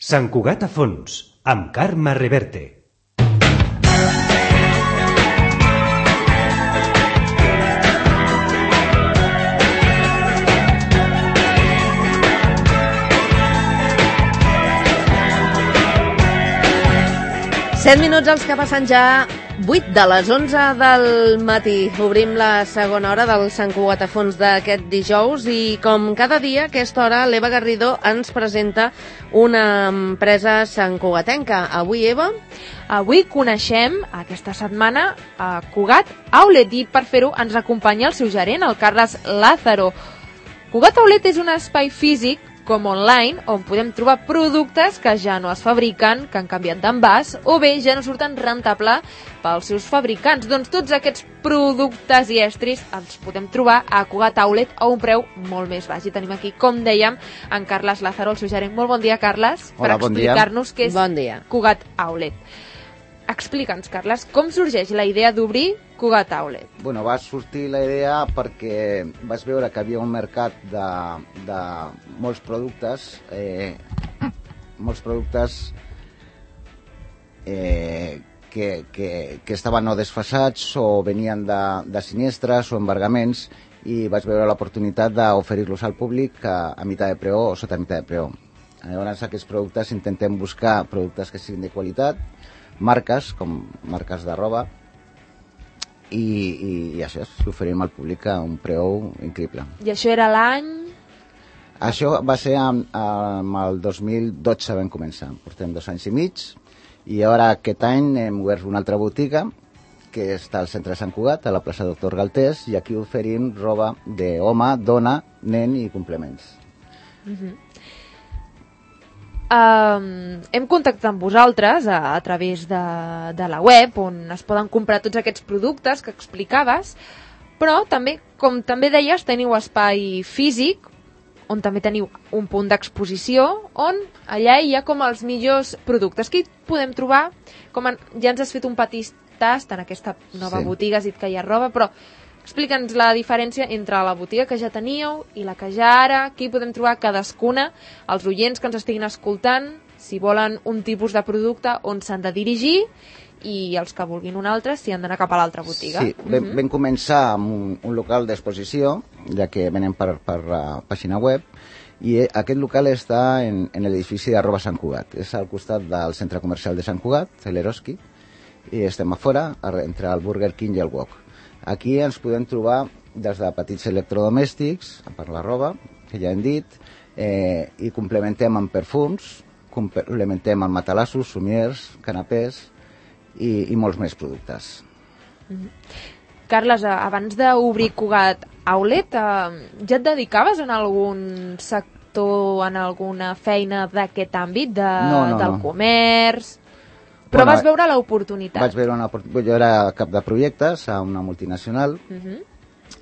Sant Cugat a fons, amb Carme Reverte. Set minuts els que passen ja 8 de les 11 del matí. Obrim la segona hora del Sant Cugat a fons d'aquest dijous i com cada dia a aquesta hora l'Eva Garrido ens presenta una empresa santcugatenca. Avui, Eva? Avui coneixem aquesta setmana a Cugat Outlet i per fer-ho ens acompanya el seu gerent, el Carles Lázaro. Cugat Outlet és un espai físic com online, on podem trobar productes que ja no es fabriquen, que han canviat d'envàs, o bé ja no surten rentable pels seus fabricants. Doncs tots aquests productes i estris els podem trobar a Cugat Outlet a un preu molt més baix. I tenim aquí, com dèiem, en Carles Lázaro, el seu gerent. Molt bon dia, Carles, Hola, per explicar-nos què és bon dia. Cugat Outlet. Explica'ns, Carles, com sorgeix la idea d'obrir Cugat Outlet? Bueno, va sortir la idea perquè vaig veure que havia un mercat de molts productes que estaven o desfasats o venien de sinistres o embargaments i vaig veure l'oportunitat d'oferir-los al públic a meitat de preu o sota meitat de preu. Llavors, aquests productes intentem buscar productes que siguin de qualitat, marques, com marques de roba, i això, l'oferim al públic a un preu increïble. I això era l'any? Això va ser amb el 2012 vam començar, portem 2 anys i mig, i ara aquest any hem obert una altra botiga que està al centre de Sant Cugat, a la plaça Doctor Galtés, i aquí oferim roba d'home, dona, nen i complements. Hem contactat amb vosaltres a través de la web on es poden comprar tots aquests productes que explicaves, però també, com també deies, teniu espai físic on també teniu un punt d'exposició on allà hi ha com els millors productes. Aquí podem trobar, ja ens has fet un petit tast en aquesta nova botiga, has dit que hi ha roba, però explica'ns la diferència entre la botiga que ja teníeu i la que ja ara, aquí podem trobar cadascuna, els oients que ens estiguin escoltant, si volen un tipus de producte, on s'han de dirigir, i els que vulguin un altre, si han d'anar cap a l'altra botiga. Sí, vam començar amb un local d'exposició, ja que venem per la pàgina web, i aquest local està en l'edifici d'Arroba Sant Cugat. És al costat del centre comercial de Sant Cugat, l'Eroski, i estem a fora, entre el Burger King i el Wok. Aquí ens podem trobar des de petits electrodomèstics, per la roba, que ja hem dit, i complementem amb perfums, complementem amb matalassos, somiers, canapés i molts més productes. Carles, abans d'obrir Cugat Outlet, ja et dedicaves en algun sector, en alguna feina d'aquest àmbit, del comerç? Però vas veure l'oportunitat. Vaig veure una oportunitat. Jo era cap de projectes a una multinacional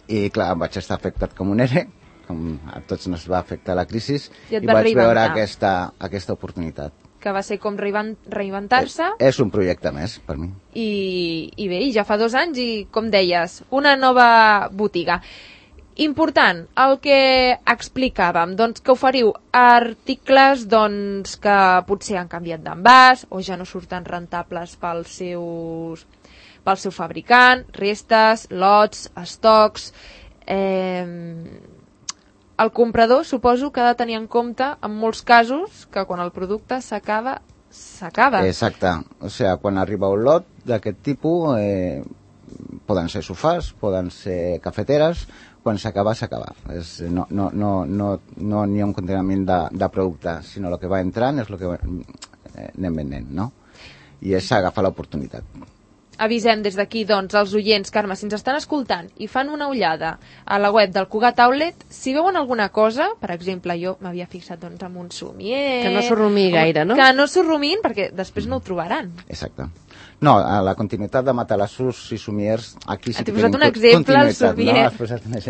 i, clar, vaig estar afectat com un ERE, com a tots ens va afectar la crisi, i vaig veure aquesta oportunitat. Que va ser com reinventar-se. És un projecte més, per mi. I bé, ja fa 2 anys i, com deies, una nova botiga. Important, el que explicàvem, doncs que oferiu articles que potser han canviat d'envàs o ja no surten rentables pel seu fabricant, restes, lots, estocs. El comprador suposo que ha de tenir en compte en molts casos que quan el producte s'acaba. Exacte, o sigui, quan arriba un lot d'aquest tipus poden ser sofàs, poden ser cafeteres. Quan s'acaba, s'acaba. No n'hi ha un conteniment de producte, sinó el que va entrant és el que anem venent, no? I és agafar l'oportunitat. Avisem des d'aquí, doncs, als oients, Carme, si ens estan escoltant i fan una ullada a la web del Cugat Outlet, si veuen alguna cosa, per exemple, jo m'havia fixat en un somier... Que no s'orrumi gaire, no? Que no s'orrumin, perquè després no ho trobaran. Exacte. No, a la continuïtat de matalassos i somiers, aquí sí que tenim un exemple, el somier.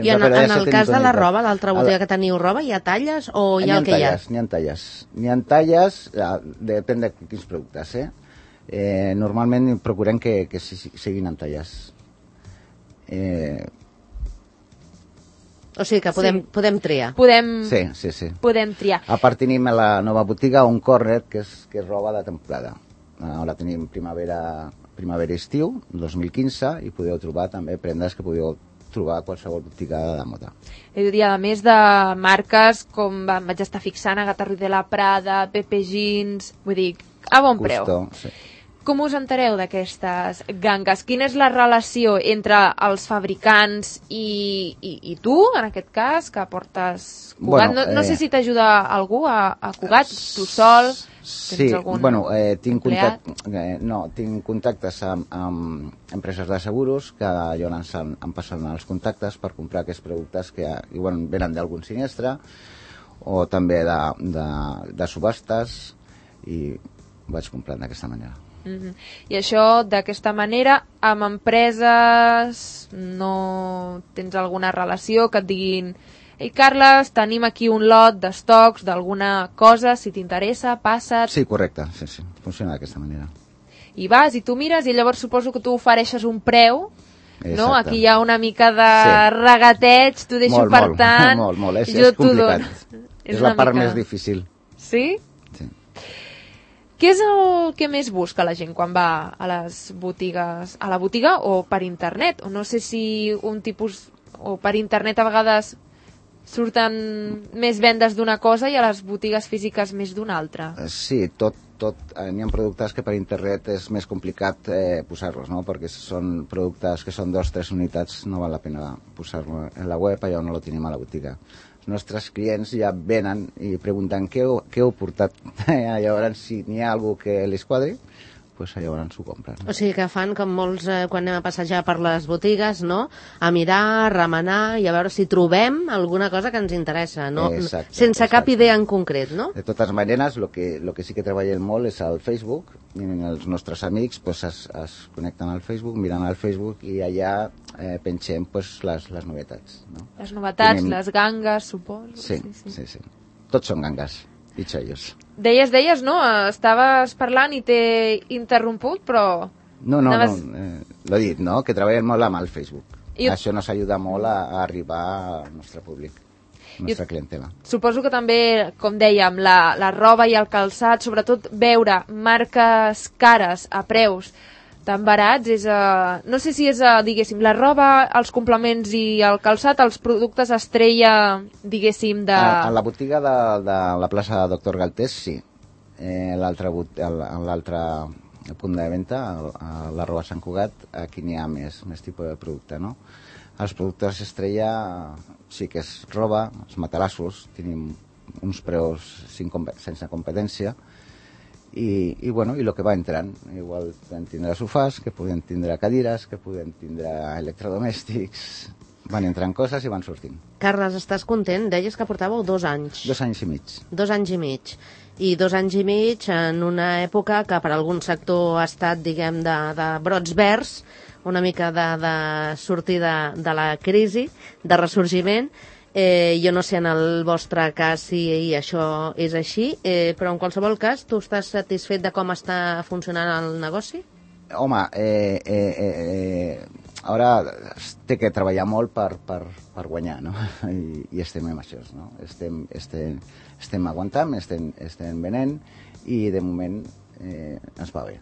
I en el cas de la roba, l'altra botiga que teniu roba, hi ha talles o hi ha el que hi ha? N'hi ha talles, depèn de quins productes, normalment procurem que siguin en talles. O sigui que podem triar. Sí. Podem triar. A part tenim a la nova botiga un corner que és roba de temporada. Ara tenim primavera-estiu 2015 i podeu trobar també prendes que podeu trobar a qualsevol botiga de moda. I a més de marques com vaig estar fixant, Agatha Ruiz de la Prada, Pepe Jeans, vull dir, a bon preu. Sí. Com us entereu d'aquestes gangues? Quina és la relació entre els fabricants i tu, en aquest cas, que portes Cugat? Bueno, no sé si t'ajuda algú a Cugat, tu sol? Sí, tinc contactes amb empreses de seguros que llavors em passen els contactes per comprar aquests productes que venen d'algun sinistre o també de subhastes i vaig comprant d'aquesta manera. I això, d'aquesta manera, amb empreses no tens alguna relació que et diguin: ei, Carles, tenim aquí un lot d'estocs d'alguna cosa, si t'interessa, passa't... Sí, correcte, sí, funciona d'aquesta manera. I vas, i tu mires, i llavors suposo que tu ofereixes un preu, exacte. No? Aquí hi ha una mica de regateig, t'ho deixo per tant... Molt, és complicat. És la part més difícil. Sí? Sí. Què és el que més busca la gent quan va a les botigues, a la botiga o per internet? O no sé si un tipus... o per internet a vegades surten més vendes d'una cosa i a les botigues físiques més d'una altra. Sí, tot. N'hi ha productes que per internet és més complicat posar-los, no? Perquè si són productes que són 2 o 3 unitats no val la pena posar-lo en la web, allò no lo tenim a la botiga. Els nostres clients ja venen i pregunten què heu portat. Llavors, si n'hi ha algú que les quadri, doncs llavors ho compren. O sigui que fan com molts quan anem a passejar per les botigues, no? A mirar, a remenar i a veure si trobem alguna cosa que ens interessa, no? Sense cap idea en concret, no? De totes maneres, el que sí que treballem molt és el Facebook, i els nostres amics es connecten al Facebook, miren al Facebook i allà pengem les novetats. No? Les novetats, les gangues, suposo. Sí. Tots són gangues i xollos. Deies, no? Estaves parlant i t'he interromput, però... No, l'he dit, no? Que treballem molt amb el Facebook. Això nos ajuda molt a arribar al nostre públic, a la nostra clientela. Suposo que també, com dèiem, la roba i el calçat, sobretot veure marques cares a preus tan barats, no sé si és, diguéssim, la roba, els complements i el calçat, els productes estrella, diguéssim, de... A la botiga de la plaça Doctor Galtés, sí. L'altre punt de venda, a l'arroba Sant Cugat, aquí n'hi ha més tipus de producte, no? Els productes estrella sí que és roba, els matalassos, tenim uns preus sense competència, i el que va entrant, igual podem tindre sofàs, que podem tindre cadires, que podem tindre electrodomèstics, van entrant coses i van sortint. Carles, estàs content? Deies que portàveu 2 anys. 2 anys i mig. 2 anys i mig. I 2 anys i mig en una època que per algun sector ha estat, diguem, de brots verds, una mica de sortir de la crisi, de ressorgiment. Jo no sé en el vostre cas si això és així, però en qualsevol cas, tu estàs satisfet de com està funcionant el negoci? Home, ara té que treballar molt per guanyar, no? I estem en això, no? Estem aguantant, estem venent i de moment ens va bé.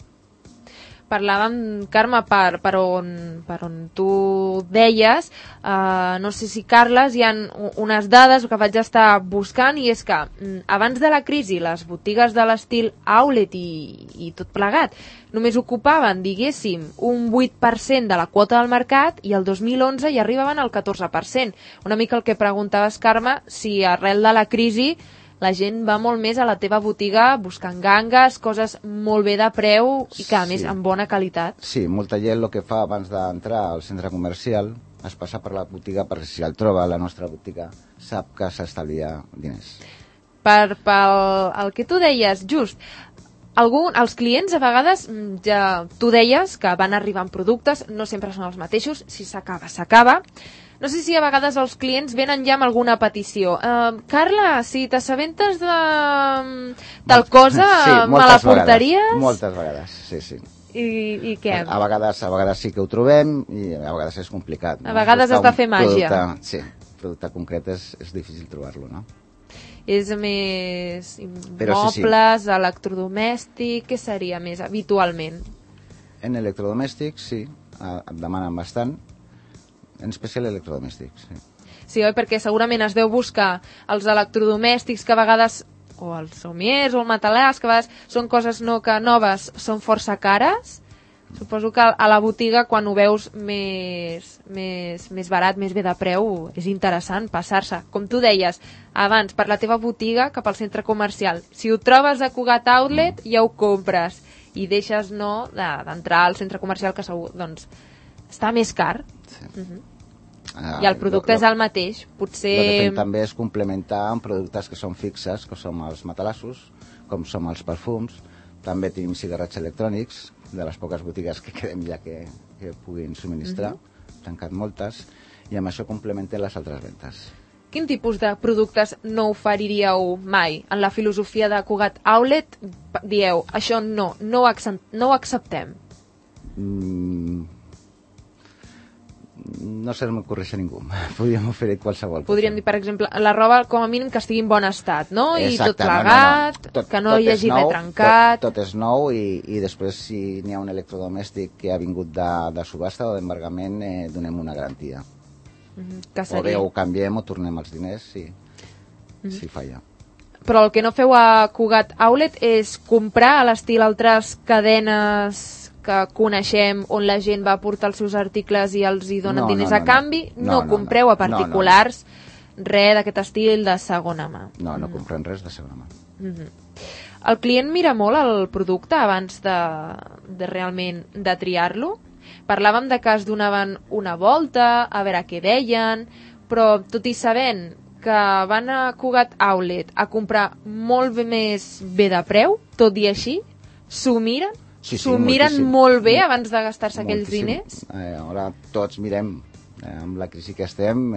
Parlàvem, Carme, per on tu deies, no sé si, Carles, hi ha unes dades que vaig estar buscant, i és que abans de la crisi les botigues de l'estil outlet i tot plegat només ocupaven, diguéssim, un 8% de la quota del mercat, i el 2011 hi arribaven al 14%. Una mica el que preguntaves, Carme, si arrel de la crisi la gent va molt més a la teva botiga buscant gangues, coses molt bé de preu i que, a més, amb bona qualitat. Sí, molta gent el que fa abans d'entrar al centre comercial es passa per la botiga perquè si el troba a la nostra botiga sap que s'estalvia diners. Pel que tu deies, just, els clients a vegades, ja tu deies que van arribant productes, no sempre són els mateixos, si s'acaba, s'acaba. No sé si a vegades els clients venen ja amb alguna petició. Carla, si t'assabentes de tal cosa, sí, me la portaries? Moltes vegades, sí. I què? A vegades sí que ho trobem i a vegades és complicat. No? A vegades has de fer màgia. Sí, producte concret és difícil trobar-lo, no? És més Però mobles, electrodomèstic, què seria més habitualment? En electrodomèstics, sí, et demanen bastant, en especial electrodomèstics, sí. Sí, oi? Perquè segurament es deu buscar els electrodomèstics que a vegades, o els somiers o el matalàs, que a vegades són coses que noves, són força cares. Suposo que a la botiga, quan ho veus més barat, més bé de preu, és interessant passar-se. Com tu deies, abans, per la teva botiga cap al centre comercial. Si ho trobes a Cugat Outlet, ja ho compres. I deixes d'entrar al centre comercial, que segur, doncs, està més car. Sí. I el producte és el mateix. Potser... El que fem també és complementar amb productes que són fixes, que són els matalassos, com són els perfums. També tenim cigarrets electrònics, de les poques botigues que quedem ja que puguin subministrar, tancat moltes, i amb això complementem les altres ventes. Quin tipus de productes no oferiríeu mai? En la filosofia de Cugat Outlet dieu, això no ho acceptem. No se m'ocorreix a ningú. Podríem oferir qualsevol. Podríem dir, per exemple, la roba com a mínim que estigui en bon estat, no? Exacte, I tot plegat, que no hi hagi res trencat. Tot és nou i després si n'hi ha un electrodomèstic que ha vingut de subhasta o d'embargament, donem una garantia. Que O bé ho canviem o tornem els diners si falla. Però el que no feu a Cugat Outlet és comprar a l'estil altres cadenes que coneixem on la gent va portar els seus articles i els hi donen diners a canvi. No compreu a particulars res d'aquest estil de segona mà. No comprem res de segona mà. El client mira molt el producte abans de realment de triar-lo. Parlàvem de que es donaven una volta, a veure què deien, però tot i sabent que van a Cugat Outlet a comprar molt més bé de preu, tot i així, s'ho miren? S'ho miren molt bé abans de gastar-se aquells diners? Ara tots mirem, amb la crisi que estem,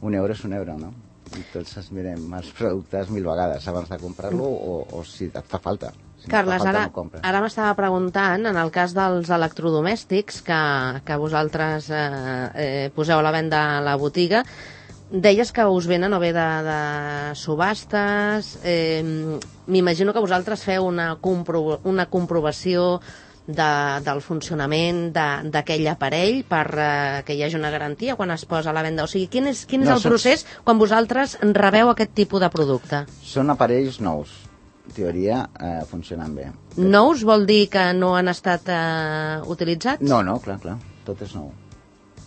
un euro és un euro, no? I tots ens mirem els productes 1000 vegades abans de comprar-lo o si et fa falta. Si Carles, ara m'estava preguntant, en el cas dels electrodomèstics que vosaltres poseu a la venda a la botiga, deies que us venen o bé de subhastes, m'imagino que vosaltres feu una comprovació del funcionament d'aquell aparell per que hi hagi una garantia quan es posa a la venda. O sigui, quin és el procés quan vosaltres rebeu aquest tipus de producte? Són aparells nous. En teoria funcionen bé. Nous vol dir que no han estat utilitzats? No, clar, tot és nou.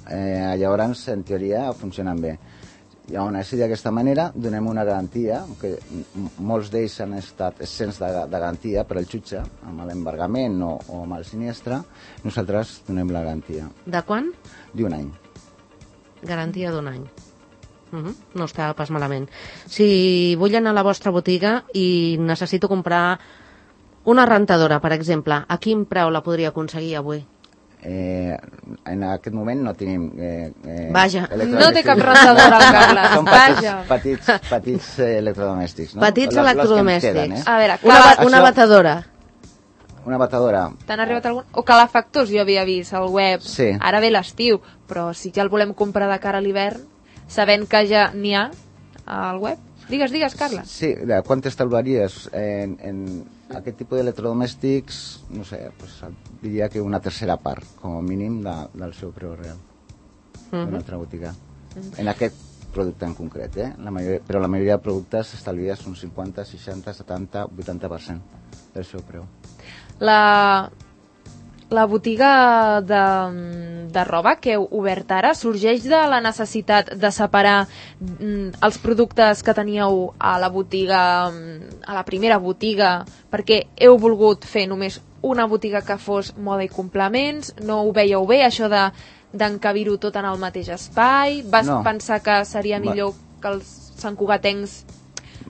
Llavors, en teoria, funcionen bé. Llavors, d'aquesta manera, donem una garantia, que molts d'ells han estat excents de garantia per al jutge, amb l'embargament o amb el siniestre, nosaltres donem la garantia. De quan? D'1 any. Garantia d'1 any. No està pas malament. Si vull anar a la vostra botiga i necessito comprar una rentadora, per exemple, a quin preu la podria aconseguir avui? En aquest moment no tenim... Vaja, no té cap rentadora al Carles. Són petits electrodomèstics, no? Petits electrodomèstics. Queden, A veure, una batedora. Una batedora. T'han arribat algun... O calefactors, jo havia vist al web. Sí. Ara ve l'estiu, però si ja el volem comprar de cara a l'hivern, sabent que ja n'hi ha al web. Digues, Carles. Sí, quan t'estalvaries en aquest tipus d'electrodomèstics, no sé, pues, diria que una tercera part, com a mínim, del seu preu real. Una altra botiga. En aquest producte en concret, però la majoria de productes estalvies un 50, 60, 70, 80% del seu preu. La botiga de roba que heu obert ara sorgeix de la necessitat de separar els productes que teníeu a la botiga, a la primera botiga, perquè heu volgut fer només una botiga que fos moda i complements, no ho veieu bé, això d'encabir-ho tot en el mateix espai, vas pensar que seria millor que els santcugatencs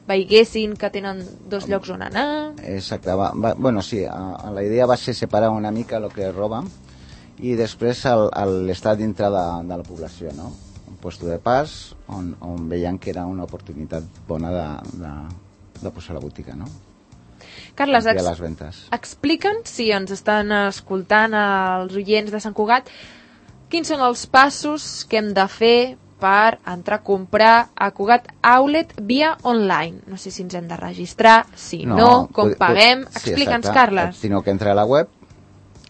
veiguessin que tenen dos llocs on anar... Exacte, bueno, sí, la idea va ser separar una mica el que és roba i després l'estar dintre de la població, no? Un puesto de pas on veien que era una oportunitat bona de posar la botiga, no? Carles, les ventes. Explica'ns, si ens estan escoltant els oients de Sant Cugat, quins són els passos que hem de fer per entrar a comprar a Cugat Outlet via online. No sé si ens hem de registrar, si no, com paguem. Explica'ns, Carles. Sinó que entra a la web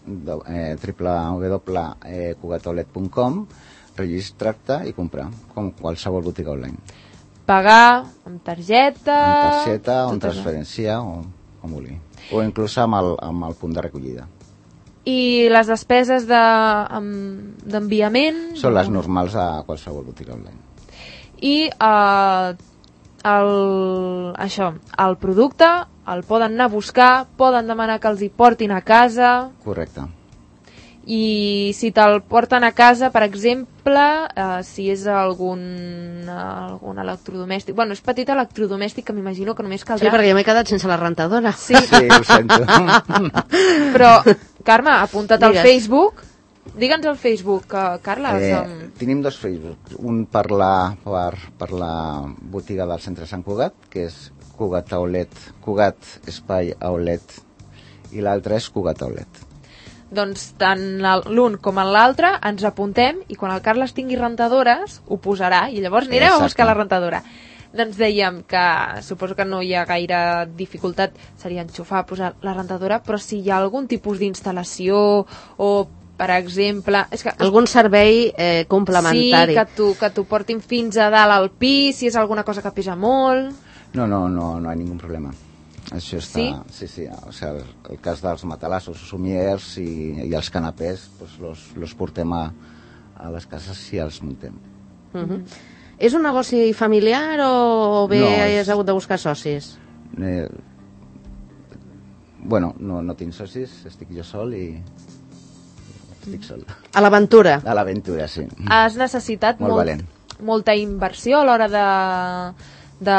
www.cugatoulet.com, registrar-te i comprar, com qualsevol botiga online. Pagar amb targeta... Amb targeta, o amb transferència, o com vulgui. O inclús amb el punt de recollida. I les despeses d'enviament... Són les normals a qualsevol botiga online. I el producte el poden anar a buscar, poden demanar que els hi portin a casa... Correcte. I si te'l porten a casa, per exemple, si és algun electrodomèstic... Bueno, és petit electrodomèstic que m'imagino que només caldrà... Sí, perquè jo m'he quedat sense la rentadora. Sí, ho sento. Però, Carme, apunta't al Facebook. Digue'ns al Facebook, Carles. Tenim dos Facebook. Un per la botiga del centre Sant Cugat, que és Cugat Outlet, Cugat Espai Outlet, i l'altre és Cugat Outlet. Doncs tant l'un com l'altre ens apuntem i quan el Carles tingui rentadores ho posarà i llavors anireu a buscar la rentadora. Doncs dèiem que suposo que no hi ha gaire dificultat, seria enxufar, posar la rentadora, però si hi ha algun tipus d'instal·lació o, per exemple... És que, algun servei complementari. Sí, que t'ho portin fins a dalt al pis, si és alguna cosa que pesa molt... No hi ha ningú problema. Això està... Sí. O sigui, el cas dels matalassos, somiers i els canapés, los portem a les cases si els muntem. És un negoci familiar o bé has hagut de buscar socis? Bueno, no tinc socis, estic jo sol i estic sol. A l'aventura? A l'aventura, sí. Has necessitat molta inversió a l'hora de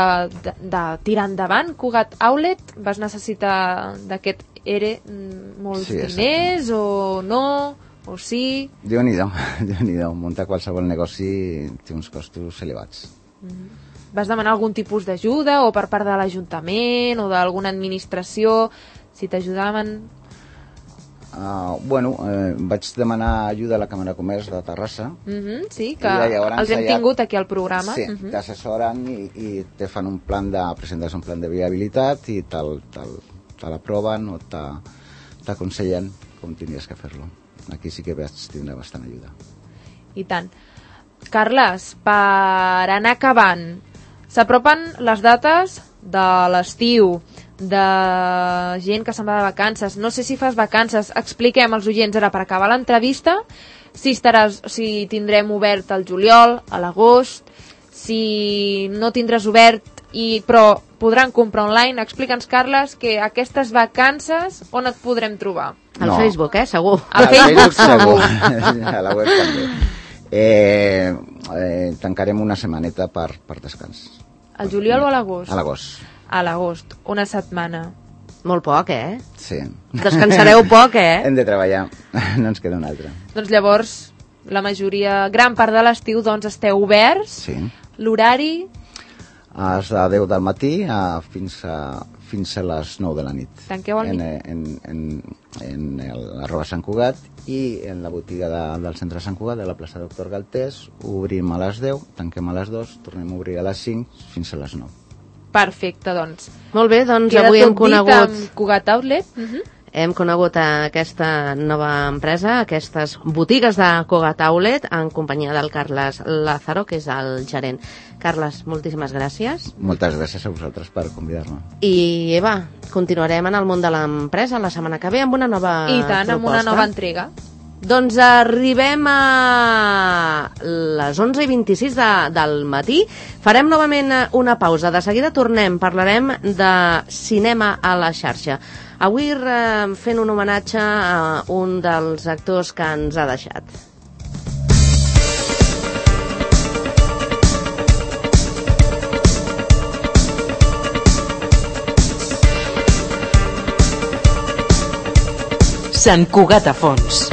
tirar endavant Cugat Outlet? Vas necessitar d'aquest ERE molts diners o no? O sí? Déu-n'hi-do. Muntar qualsevol negoci té uns costos elevats. Vas demanar algun tipus d'ajuda o per part de l'Ajuntament o d'alguna administració si t'ajudaven? Vaig demanar ajuda a la Càmera de Comerç de Terrassa. Sí, que els hem tingut aquí al programa. Sí, t'assessoren i te fan presentes un plan de viabilitat i te l'aproven o t'aconsellen com tindries que fer-lo. Aquí sí que vaig tindre bastant ajuda. I tant. Carles, per anar acabant, s'apropen les dates de l'estiu, de gent que se'n va de vacances. No sé si fas vacances. Expliquem als oients ara per acabar l'entrevista si tindrem obert al juliol, a l'agost, si no tindràs obert però podran comprar online. Explica'ns, Carles, que aquestes vacances on et podrem trobar? Al Facebook, segur. Al Facebook segur. A la web també. Tancarem una setmaneta per descans. Al juliol o a l'agost? A l'agost. A l'agost, una setmana. Molt poc, Sí. Descansareu poc, Hem de treballar, no ens queda una altra. Doncs llavors, gran part de l'estiu, esteu oberts. Sí. L'horari? És de 10 del matí fins a les 9 de la nit. Tanqueu al nit? En l'arroba Sant Cugat i en la botiga del centre Sant Cugat, de la plaça Doctor Galtés, obrim a les 10, tanquem a les 2, tornem a obrir a les 5 fins a les 9. Perfecte, doncs. Molt bé, doncs queda avui hem conegut... conegut... amb Cugat Outlet. Hem conegut aquesta nova empresa, aquestes botigues de Cugat Outlet, en companyia del Carles Lázaro, que és el gerent. Carles, moltíssimes gràcies. Moltes gràcies a vosaltres per convidar-me. I Eva, continuarem en el món de l'empresa la setmana que ve amb una nova I tant, proposta. amb una nova entrega. Doncs arribem a les 11:26 del matí. Farem novament una pausa. De seguida tornem, parlarem de cinema a la xarxa. Avui fent un homenatge a un dels actors que ens ha deixat. Sant Cugat a Fons.